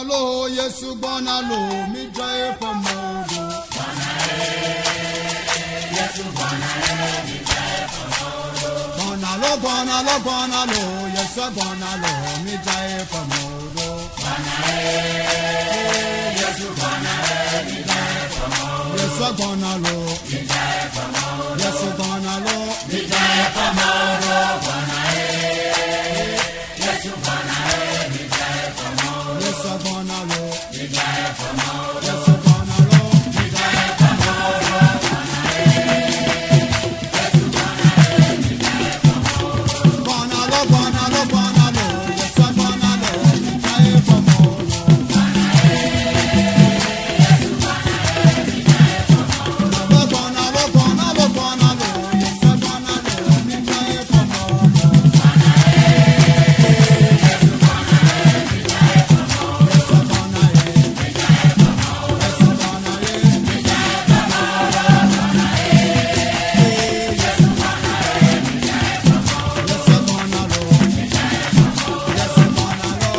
lo, Yesu gbɔna lo, midzra eƒe mɔwo ɖo. Gbɔna lo, gbɔna lo, gbɔna lo, Yesu gbɔna lo, midzra eƒe mɔwo ɖo. Yesu gbɔna lo, Yesu gbɔna lo, midzra eƒe mɔwo ɖo. Yesu gbɔna lo, Yesu gbɔna lo, midzra eƒe mɔwo ɖo. Gbɔna lo, gbɔna lo, gbɔna lo, Yesu gbɔna lo, midzra eƒe mɔwo ɖo. Gbɔna lo, gbɔna lo, gbɔna lo, Yesu gbɔna lo, midzra eƒe mɔwo ɖo. Yesu gbɔna ye, Yesu gbɔna ye, Yesu gbɔna lo, Yesu gbɔna lo.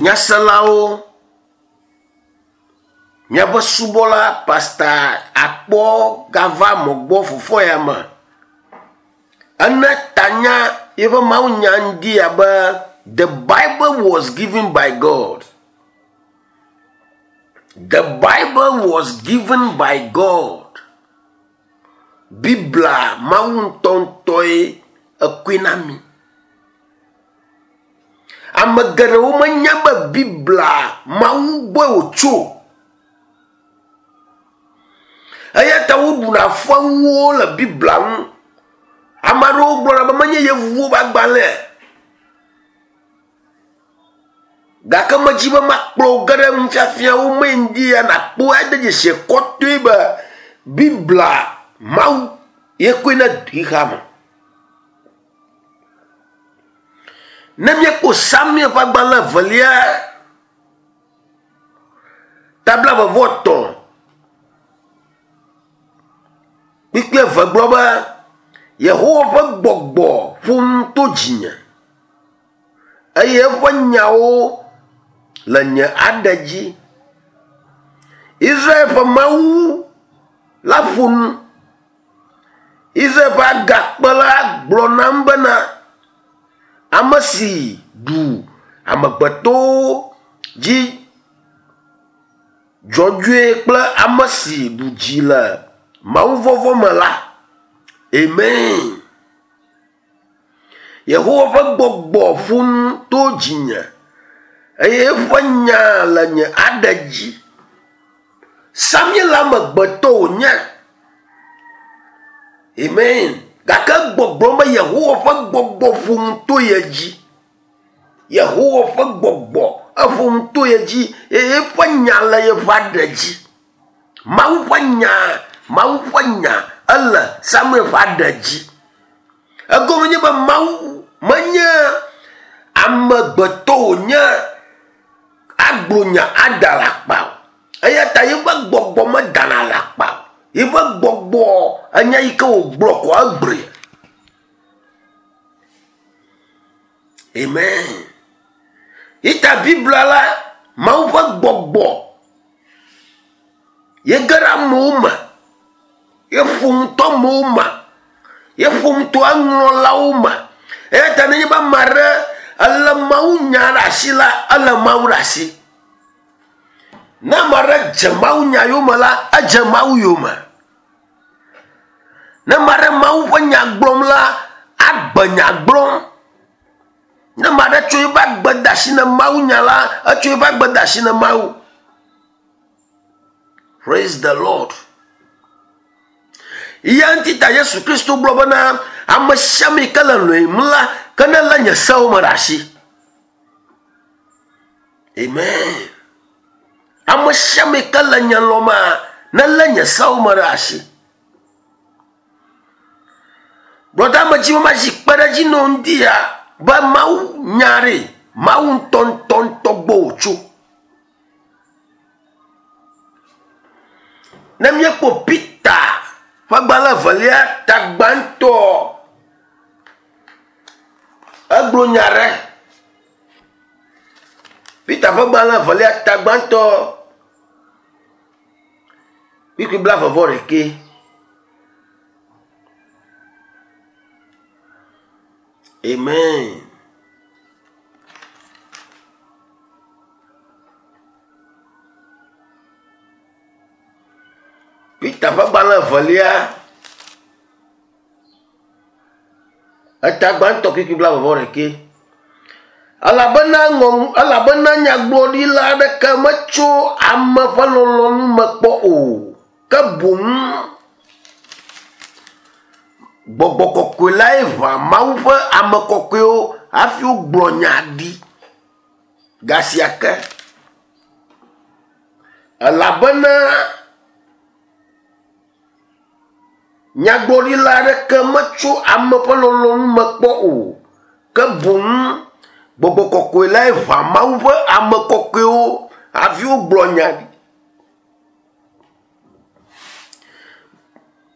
Nyaselawo, miaƒe subɔla pasta akpɔ gava mɔgbɔ fofoa ya me. Ene tanya yeƒe mawunya ŋdi abe The Bible was given by God. The Bible was given by God. Biblia Mawu ŋutɔŋutɔe ekɔe na mi. Ame geɖewo menya be Biblia Mawu gbɔe wòtso. Eya ta woɖuna fewuwo le Biblia ŋu. Ame aɖewo gblɔna be menye yevuwo ƒe agbalẽe. Gake medzi be makplɔ wò ge ɖe nufiafiawo mee ŋdi ya nàkpɔe ade dzesi kɔtɔe be Biblia Mawu ye koe na xexea me. Ne míekpɔ Samuel ƒe agbalẽ evelia ta blaeve-vɔ-etɔ̃ kpukpui eve gblɔ be, Yehowa ƒe gbɔgbɔ ƒo nu to dzinye eye eƒe nyawo le nye aɖe dzi. Israel ƒe Mawu la ƒo nu. Israel ƒe agakpe la gblɔ nam bena, ame si ɖu amegbetɔwo dzi dzɔdzɔe kple ame si ɖu dzi le mawuvɔvɔ̃ me la. Amen. Yehowa ƒe gbɔgbɔ ƒo nu to dzinye eye eƒe nya le nye aɖe dzi. Samuel amegbetɔ wònye. Amen. Gake gbɔgblɔm be Yehowa ƒe gbɔgbɔ ƒo nu to ye dzi. Yehowa ƒe gbɔgbɔ eƒo nu to ye dzi eye eƒe nya le yeƒe aɖe dzi. Mawu ƒe nya, Mawu ƒe nya ele Samuel ƒe aɖe dzi. Egɔme nye be Mawu menye amegbetɔ wònye agblɔ nya ada alakpa o. Eya ta yeƒe gbɔgbɔ medana alakpa o. Yeƒe gbɔgbɔ enya yi ke wògblɔ ko egblɔe. Amen. Yi ta Biblia la, Mawu ƒe gbɔgbɔ ye ge ɖe amewo me. Ye ƒo nu to amewo me. Ye ƒo nu to eŋlɔlawo me. Eya ta nenye be ame aɖe elé mawunya ɖe asi la, ele Mawu ɖe asi. Ne ame aɖe dze mawunya yome la, edze Mawu yome. Ne ame aɖe Mawu ƒe nya gblɔm la, agbe nya gblɔm. Ne ame aɖe tso eƒe agbe de asi na mawunya la, etso eƒe agbe de asi na Mawu. Praise the Lord. Ya ŋuti ta Yesu Kristo gblɔ bena ame sia ame yi ke le lɔ̃em la, ke nelé nye sewo me ɖe asi. Amen. Ame sia ame yi ke le nye lɔ̃mea, nelé nye sewo me ɖe asi. Brɔda medzi be mazi kpe ɖe edzi nɔ ŋdi ya be Mawu nya ɖe Mawu ŋutɔŋutɔŋutɔ gbɔ wòtso. Ne míekpɔ Peter ƒe agbalẽ evelia ta gbãtɔ. Egblɔ nya ɖe. Peter ƒe gbalẽ evelia ta gbãtɔ kpukpui blaeve vɔ ɖekɛ. Amen. Peter ƒe gbalẽ evelia eta gbãtɔ kpukpui blaeve vɔ ɖekɛ. Elabena ŋɔ elabena nyagblɔɖila aɖeke metso ame ƒe lɔlɔ̃nu me kpɔ o, ke boŋ gbɔgbɔ kɔkɔe lae ʋã Mawu ƒe ame kɔkɔewo hafi wogblɔ nya ɖi gasia ke. Elabena Nyagblɔɖila aɖeke metso ame ƒe lɔlɔ̃nu me kpɔ o, ke boŋ gbɔgbɔ kɔkɔe lae ʋã Mawu ƒe ame kɔkɔewo hafi wogblɔ nya ɖi.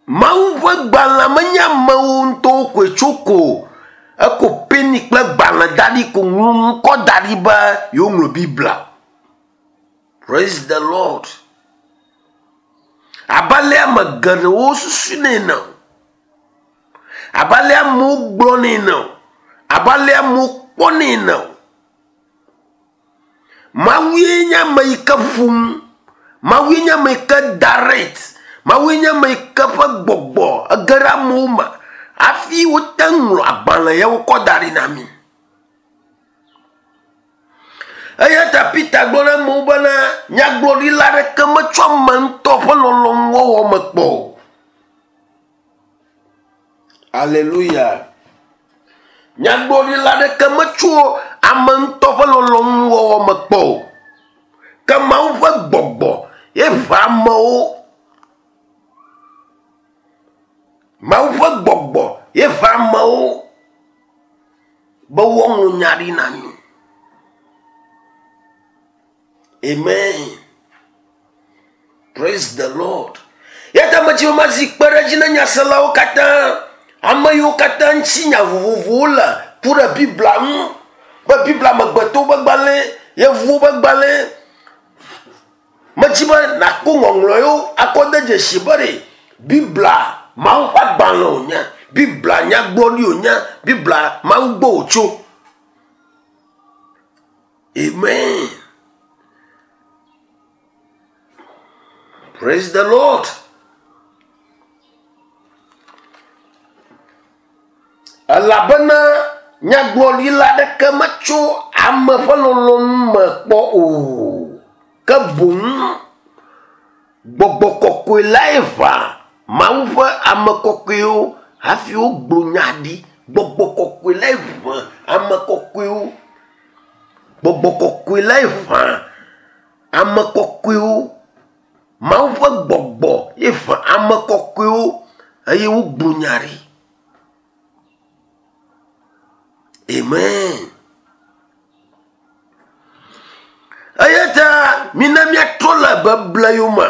Mawu ƒe gbalẽ menye amewo ŋutɔwo koe tso ko o. Eko peni kple gbalẽ da ɖi ko ŋlɔ ŋkɔ da ɖi be yewoŋlɔ Biblia. Praise the Lord. Abe ale ame geɖewo susunɛ ene o. Abe ale amewo gblɔnɛ ene o. Abe ale amewo kpɔnɛ ene o. Mawue nye ame yi ke ƒo nu. Mawue nye ame yi ke direct. Mawue nye ame yi ke ƒe gbɔgbɔ ege ɖe amewo me hafi wote ŋlɔ agbalẽ ya wokɔ da ɖi na mí. Eya ta Peter gblɔ na amewo bena nyagblɔɖila aɖeke metsɔ ame ŋutɔ ƒe lɔlɔ̃nu wɔwɔ me kpɔ o. Aleluya. Nyagblɔɖila aɖeke metso ame ŋutɔ ƒe lɔlɔ̃nu wɔwɔ me kpɔ o. Ke Mawu ƒe gbɔgbɔ ye ʋã amewo. Mawu ƒe gbɔgbɔ ye ʋã amewo. Be woaŋlɔ nya ɖi na mí. Amen. Praise the Lord. Ya ta medzi be mazi kpe ɖe edzi na nyaselawo katã, ame yiwo katã ŋuti nya vovovowo le ku ɖe Biblia ŋu, be Biblia amegbetɔwo ƒe gbalẽ, yevuwo ƒe gbalẽ. Medzi be nàkpɔ ŋɔŋlɔ yewo akɔ de dzesi be ɖe Biblia Mawu ƒe agbalẽ wònye, Biblia nyagblɔɖi wònye, Biblia Mawu gbɔ wòtso. Amen. Praise the Lord. Elabena nyagblɔɖila aɖeke metso ame ƒe lɔlɔ̃nu me kpɔ o, ke boŋ gbɔgbɔ kɔkɔe lae ʋã Mawu ƒe ame kɔkɔewo hafi wogblɔ nya ɖi. Gbɔgbɔ kɔkɔe lae ʋã ame kɔkɔewo. Gbɔgbɔ kɔkɔe lae ʋã ame kɔkɔewo. Mawu ƒe gbɔgbɔ ye ʋã ame kɔkɔewo eye wogblɔ nya ɖi. Amen. Eya ta mina míatrɔ le beble yome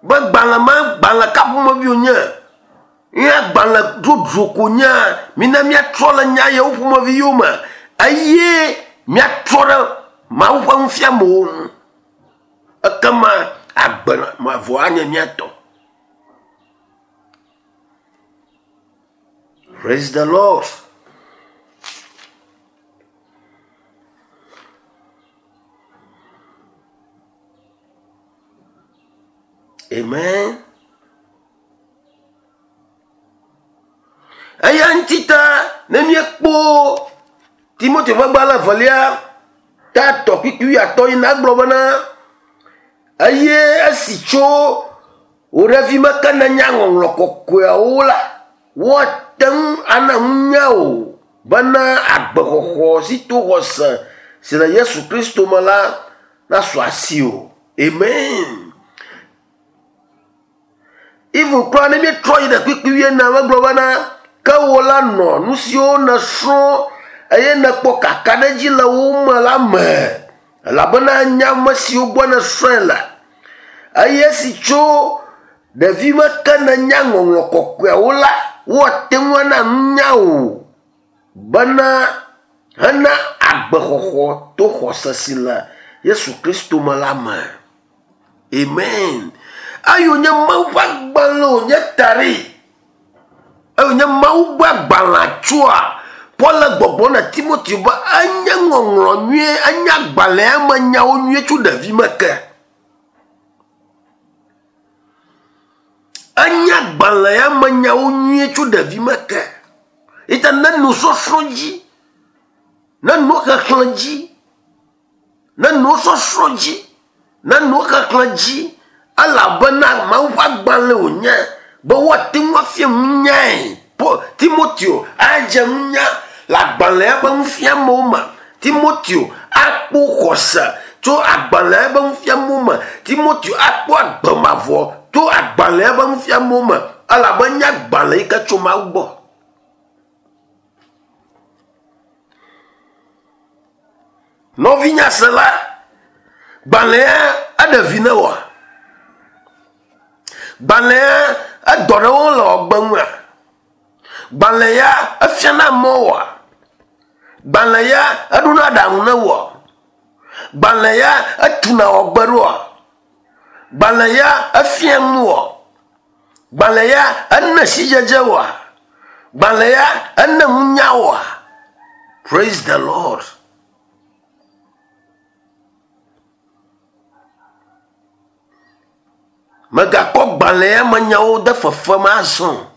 be gbalẽ ma gbalẽ ka ƒomevi wònye ye agbalẽ dzodzro ko nyea mina míatrɔ le nya yawo ƒomevi yome eye míatrɔ ɖe Mawu ƒe nufiamewo ŋu. Ekema agbe mavɔ anye mía tɔ. Praise the Lord. Amen. Eya ŋuti ta ne míekpɔ Timoteo ƒe gbalẽ evelia ta tɔ kpukpui wuiatɔ̃ yi na egblɔ bena eye esi tso wò ɖevime ke nènya ŋɔŋlɔ kɔkɔeawo la, woate ŋu ana nunya wò bena agbexɔxɔ si to xɔse si le Yesu Kristo me la nasu asiwò. Amen. Even kura ne míetrɔ yi ɖe kpukpui wuienea me egblɔ bena, ke wò la nɔ nu siwo nèsrɔ̃ eye nèkpɔ kakaɖedzi le wo me la me, elabena ènya ame siwo gbɔ nèsrɔ̃e le. Eye esi tso ɖevime ke nènya ŋɔŋlɔ kɔkɔeawo la, woate ŋu ana nunya wò. Bena hena agbexɔxɔ to xɔse si le Yesu Kristo me la me. Amen. Eyo nye Mawu ƒe agbalẽ wònye ta ɖi. Eyo nye Mawu ƒe agbalẽa tsoa Paul le gbɔgblɔm na Timoteo be enye ŋɔŋlɔ nyuie, enye agbalẽa me nyawo nyuie tso ɖevime ke. Enye agbalẽ ya me nyawo nyuie tso ɖevime ke. Eya ne nusɔsrɔ̃ dzi, ne nuxexlẽ dzi, ne nusɔsrɔ̃ dzi, ne nuxexlẽ dzi, elabena Mawu ƒe agbalẽ wònye be woate ŋu afia nunyae. Timoteo adze nunya le agbalẽa ƒe nufiamewo me. Timoteo akpɔ xɔse tso agbalẽa ƒe nufiamewo me. Timoteo akpɔ agbe mavɔ tso agbalẽa ƒe nufiamewo me elabe enye agbalẽ yi ke tso Mawu gbɔ. Nɔvinyasela, gbalẽa eɖe vi ne wòa? Gbalẽa edɔ ɖe wo le wɔgbe ŋua? Gbalẽ ya efiana mɔ wòa? Gbalẽ ya eɖona aɖaŋu ne wòa? Gbalẽ ya etuna wɔgbe ɖoa? Gbalẽ ya efia nu wòa? Gbalẽ ya ene sidzedze wòa? Gbalẽ ya ene nunya wòa? Praise the Lord. Mègakɔ gbalẽ ya me nyawo de fefe me azɔ o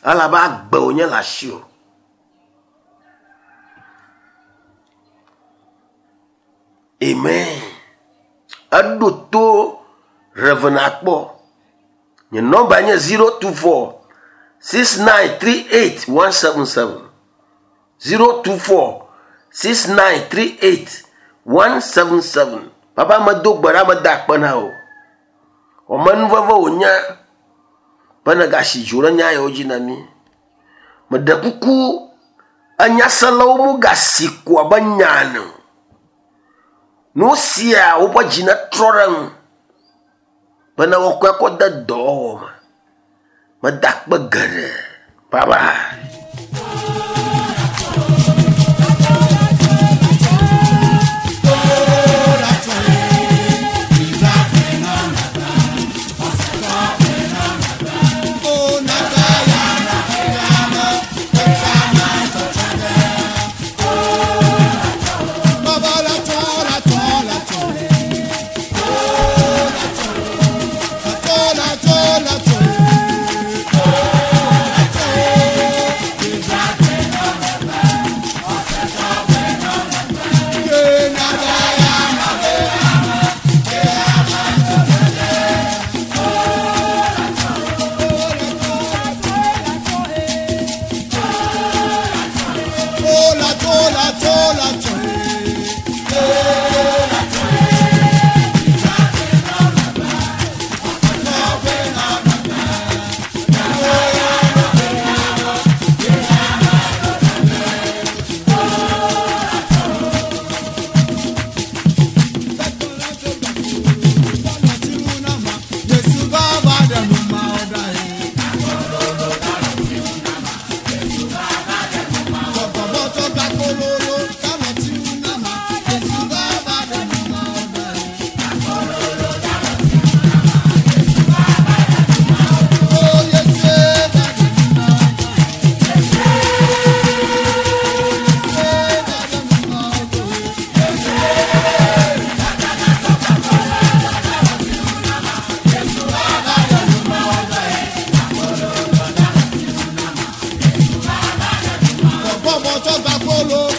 elabe agbe wònye le asiwò. Amen. Eɖo to Rev. Akpɔ. Nye nɔmba nye 024 6938 177. 024 6938 177. Papa medo gbe ɖa meda akpe na wò. Wɔmenuveve wònye be nègasi dzo ɖe nya yawo dzi na mí. Meɖe kuku enyaselawo megasi ko abe nya ene o. Nu sia woƒe dzi netrɔ ɖe eŋu bene woakɔe akɔ de dɔwɔwɔ me. Meda akpe geɖe. Bye bye. Bọ́bọ̀ tó gba kóló.